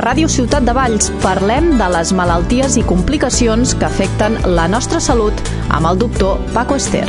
Ràdio Ciutat de Valls parlem de les malalties i complicacions que afecten la nostra salut amb el doctor Paco Ester.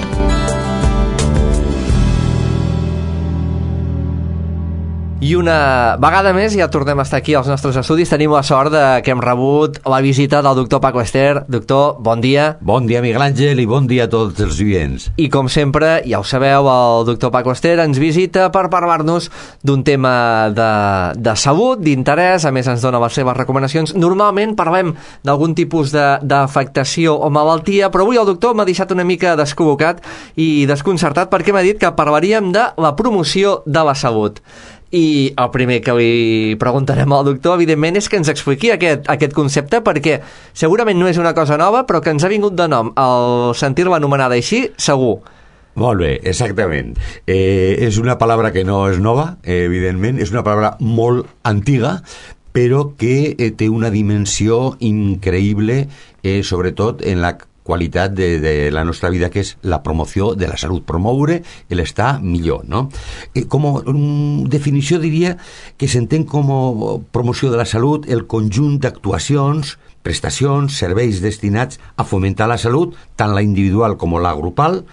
I una vegada més ja tornem a estar aquí als nostres estudis. Tenim la sort que hem rebut la visita del doctor Paco Ester. Doctor, bon dia. Bon dia, Miguel Àngel, i bon dia a tots els oients. I com sempre, ja ho sabeu, el doctor Paco Ester ens visita per parlar-nos d'un tema de salut, d'interès. A més, ens dona les seves recomanacions. Normalment parlem d'algun tipus d'afectació o malaltia, però avui el doctor m'ha deixat una mica descol·locat i desconcertat perquè m'ha dit que parlaríem de la promoció de la salut. I el primer que li preguntarem al doctor, evidentment, és que ens expliqui aquest concepte, perquè segurament no és una cosa nova, però que ens ha vingut de nom al sentir-la anomenada així, segur. Molt bé, exactament. És una paraula que no és nova, evidentment, és una paraula molt antiga, però que té una dimensió increïble, sobretot en la qualitat de la nostra vida, que és la promoció de la salut, promoure l'estar millor, no? Com a definició diria que s'entén com a promoció de la salut el conjunt d'actuacions, prestacions, serveis destinats a fomentar la salut, tant la individual com la grupal,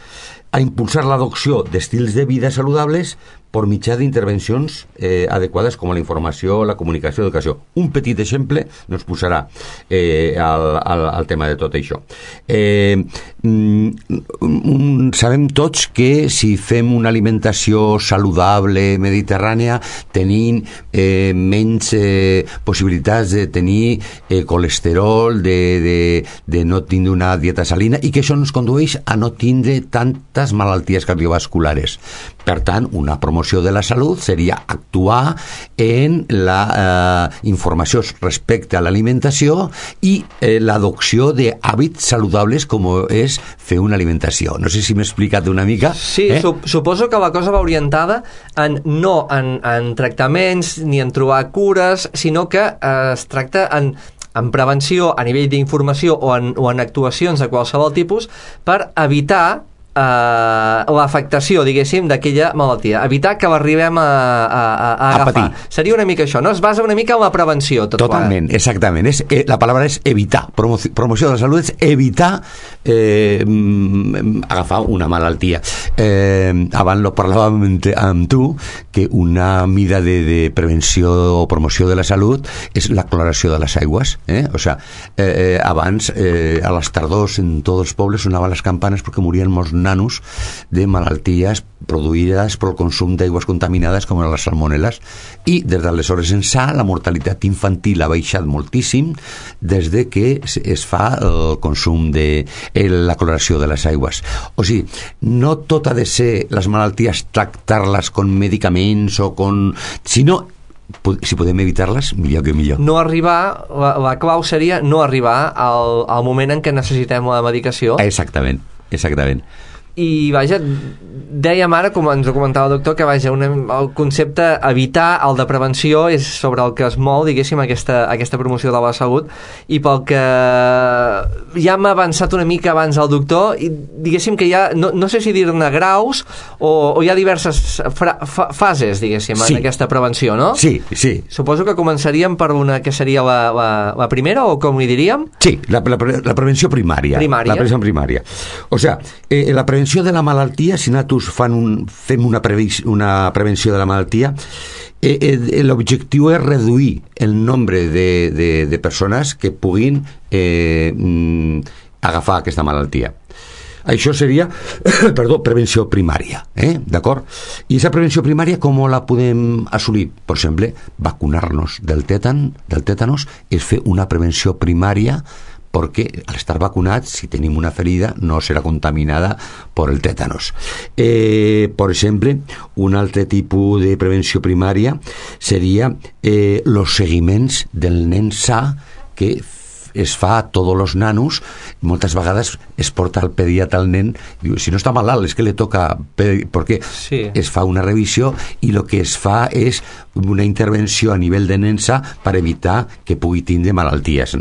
a impulsar l'adopció d'estils de vida saludables per mitjà d'intervencions adequades com la informació, la comunicació, l'educació. Un petit exemple no ens posarà al tema de tot això. Sabem tots que si fem una alimentació saludable, mediterrània, tenim menys possibilitats de tenir colesterol, de no tindre una dieta salina, i que això ens condueix a no tindre tantes malalties cardiovasculares. Per tant, una promoció de la salut seria actuar en la informació respecte a l'alimentació i l'adopció d'hàbits saludables com és fer una alimentació. No sé si m'he explicat una mica. Sí, suposo que la cosa va orientada no en tractaments ni en trobar cures, sinó que es tracta en prevenció a nivell d'informació o en actuacions de qualsevol tipus per evitar l'afectació, diguéssim, d'aquella malaltia, evitar que l'arribem a agafar. Seria una mica això, no? Es basa una mica en la prevenció. Totalment, exactament. La paraula és evitar. Promoció de la salut és evitar agafar una malaltia. Abans lo parlàvem amb tu, que una mida de prevenció o promoció de la salut és la cloració de les aigües. O sea, abans, a les tardors, en tots els pobles sonaven les campanes perquè morien molts nanos de malalties produïdes pel consum d'aigües contaminades com les salmonel·les, i des d'aleshores ençà la mortalitat infantil ha baixat moltíssim des de que es fa el consum de la cloració de les aigües. O sigui, no tot ha de ser les malalties tractar-les con medicaments o con... sinó si podem evitar-les, millor que millor. No arribar, la clau seria no arribar al moment en què necessitem la medicació. Exactament. I vaja, dèiem ara, com ens ho comentava el doctor, que vaja, el concepte evitar, el de prevenció, és sobre el que es mou, diguéssim, aquesta promoció de la salut, i pel que ja m'ha avançat una mica abans el doctor, i diguéssim que hi ha, no sé si dir-ne graus, o hi ha diverses fases, diguéssim, en aquesta prevenció, no? Sí. Suposo que començaríem per una que seria la primera, o com li diríem? Sí, la prevenció primària. La prevenció primària. O sea, la prevenció de la malaltia, si nosaltres fem una prevenció de la malaltia, l'objectiu és reduir el nombre de persones que puguin agafar aquesta malaltia. Això seria, prevenció primària, d'acord? I aquesta prevenció primària com la podem assolir? Per exemple, vacunar-nos del tètanos és fer una prevenció primària, perquè al estar vacunats, si tenim una ferida, no serà contaminada per el tètanos. Per exemple, un altre tipus de prevenció primària seria els seguiments del nen sa que es fa a tots els nanos. Moltes vegades es porta al pediatre al nen, diu, si no està malalt, és que li toca, perquè es fa una revisió i el que es fa és una intervenció a nivell de nen sa per evitar que pugui tindre malalties.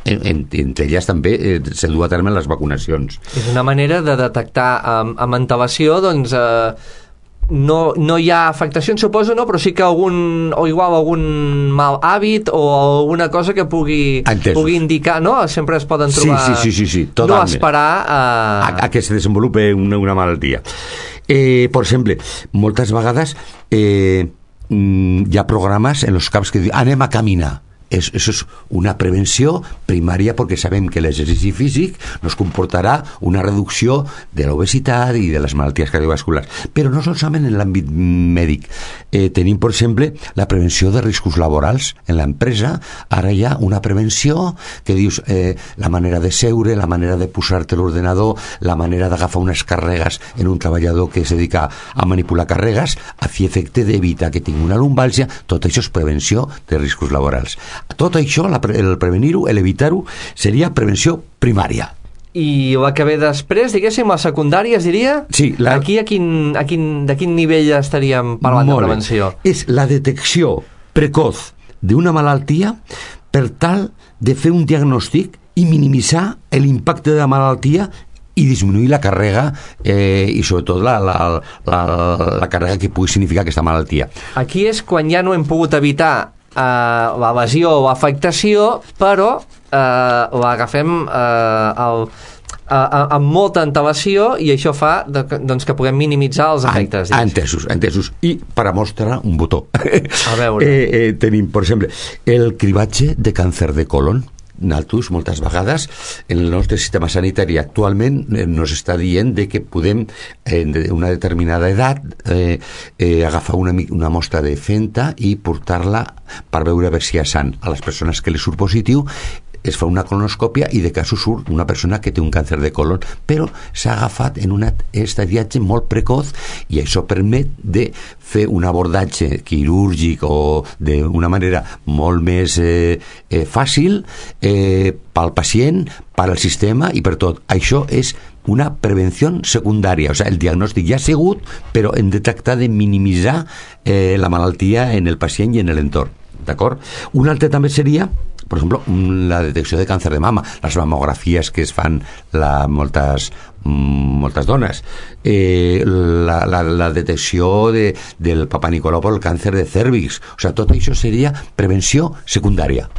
Entre elles també se du a terme les vacunacions. És una manera de detectar amb antelació, doncs, no hi ha afectacions, suposo, no? Però sí que algun mal hàbit o alguna cosa que pugui indicar, no? Sempre es poden trobar... Sí, no esperar a que se desenvolupe una malaltia. Per exemple, moltes vegades hi ha programes en els camps que diuen anem a caminar. Eso es una prevenció primària perquè sabem que l'exercici físic nos comportarà una reducció de l'obesitat i de les malalties cardiovasculars. Però no solament en l'àmbit mèdic. Tenim, per exemple, la prevenció de riscos laborals en l'empresa. Ara hi ha una prevenció que dius la manera de seure, la manera de posar-te l'ordenador, la manera d'agafar unes càrregues en un treballador que es dedica a manipular càrregues a fi efecte d'evitar que tingui una lumbàlgia. Tot això és prevenció de riscos laborals. Tot això, el prevenir-ho, l'evitar-ho, seria prevenció primària. I la que ve després, diguéssim, la secundària, es diria? Sí. Aquí de quin nivell estaríem parlant de prevenció? És la detecció precoç d'una malaltia per tal de fer un diagnòstic i minimitzar l'impacte de la malaltia i disminuir la càrrega i sobretot la càrrega que pugui significar aquesta malaltia. Aquí és quan ja no hem pogut evitar la lesió o afectació, però l'agafem amb molta antelació i això fa doncs, que puguem minimitzar els efectes. Entesos. I per a mostrar un botó. A veure. Tenim, per exemple, el cribatge de càncer de colon. Nosaltres, moltes vegades, en el nostre sistema sanitari actualment nos està dient de que podem, en una determinada edat, agafar una mostra de fenta i portar-la per veure si hi ha sang. A les persones que li surt positiu es fa una colonoscòpia i de cas surt una persona que té un càncer de colon, però s'ha agafat en un estadiatge molt precoç i això permet de fer un abordatge quirúrgic o d'una manera molt més fàcil pel pacient, per al sistema i per tot. Això és una prevenció secundària, o sigui, el diagnòstic ja ha sigut, però hem de tractar de minimitzar la malaltia en el pacient i en l'entorn. D'acord? Un altre també seria, per exemple, la detecció de càncer de mama, les mamografies que es fan moltes dones, la detecció del Papa Nicolau per el càncer de cèrvix, o sigui, tot això seria prevenció secundària.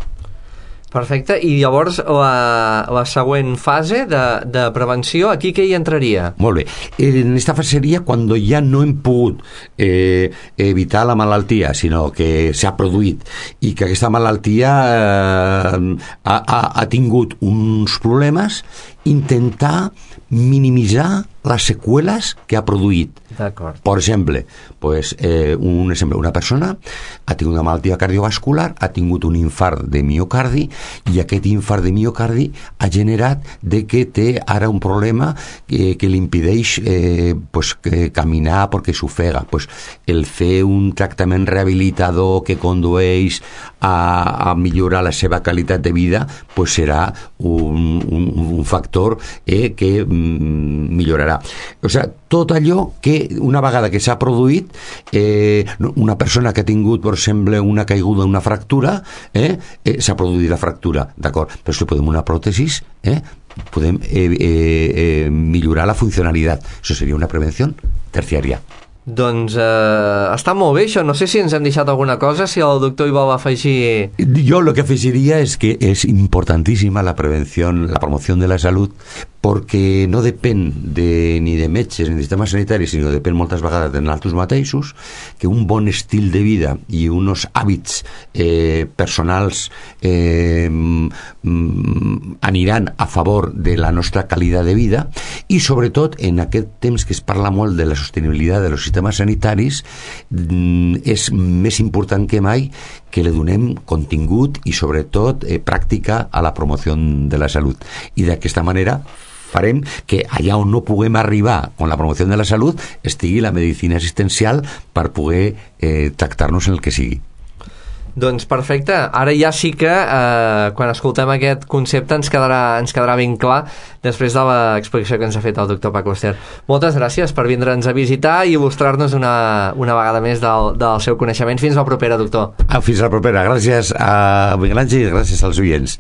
Perfecte, i llavors la següent fase de prevenció, aquí què hi entraria? Molt bé, en aquesta fase seria quan ja no hem pogut evitar la malaltia, sinó que s'ha produït i que aquesta malaltia ha tingut uns problemes, intentar minimitzar les seqüeles que ha produït. D'acord. Per exemple, una persona ha tingut una malaltia cardiovascular, ha tingut un infart de miocardi i aquest infart de miocardi ha generat de que té ara un problema que li impedeix caminar perquè s'ofega. El fer un tractament rehabilitador que condueix a millorar la seva qualitat de vida serà un factor que millorarà. O sigui, tot allò que una vegada que s'ha produït, una persona que ha tingut, per exemple, una caiguda, una fractura, s'ha produït la fractura, d'acord, però si podem una pròtesi, podem millorar la funcionalitat. Això seria una prevenció terciària. Doncs està molt bé això, no sé si ens hem deixat alguna cosa, si el doctor hi vol afegir... Jo el que afegiria és que és importantíssima la prevenció, la promoció de la salut, perquè no depèn ni de metges ni de sistema sanitari, sinó depèn moltes vegades de nosaltres mateixos, que un bon estil de vida i uns hàbits personals aniran a favor de la nostra qualitat de vida i sobretot en aquest temps que es parla molt de la sostenibilitat dels sistemes sanitaris és més important que mai que li donem contingut i sobretot pràctica a la promoció de la salut i d'aquesta manera farem que allà on no puguem arribar amb la promoció de la salut estigui la medicina assistencial per poder tractar-nos en el que sigui. Doncs perfecte, ara ja sí que quan escoltem aquest concepte ens quedarà ben clar després de l'explicació que ens ha fet el doctor Paco Ester. Moltes gràcies per vindre'ns a visitar i il·lustrar-nos una vegada més del seu coneixement. Fins la propera, doctor. Fins la propera, gràcies a Miguel Àngel i gràcies als oients.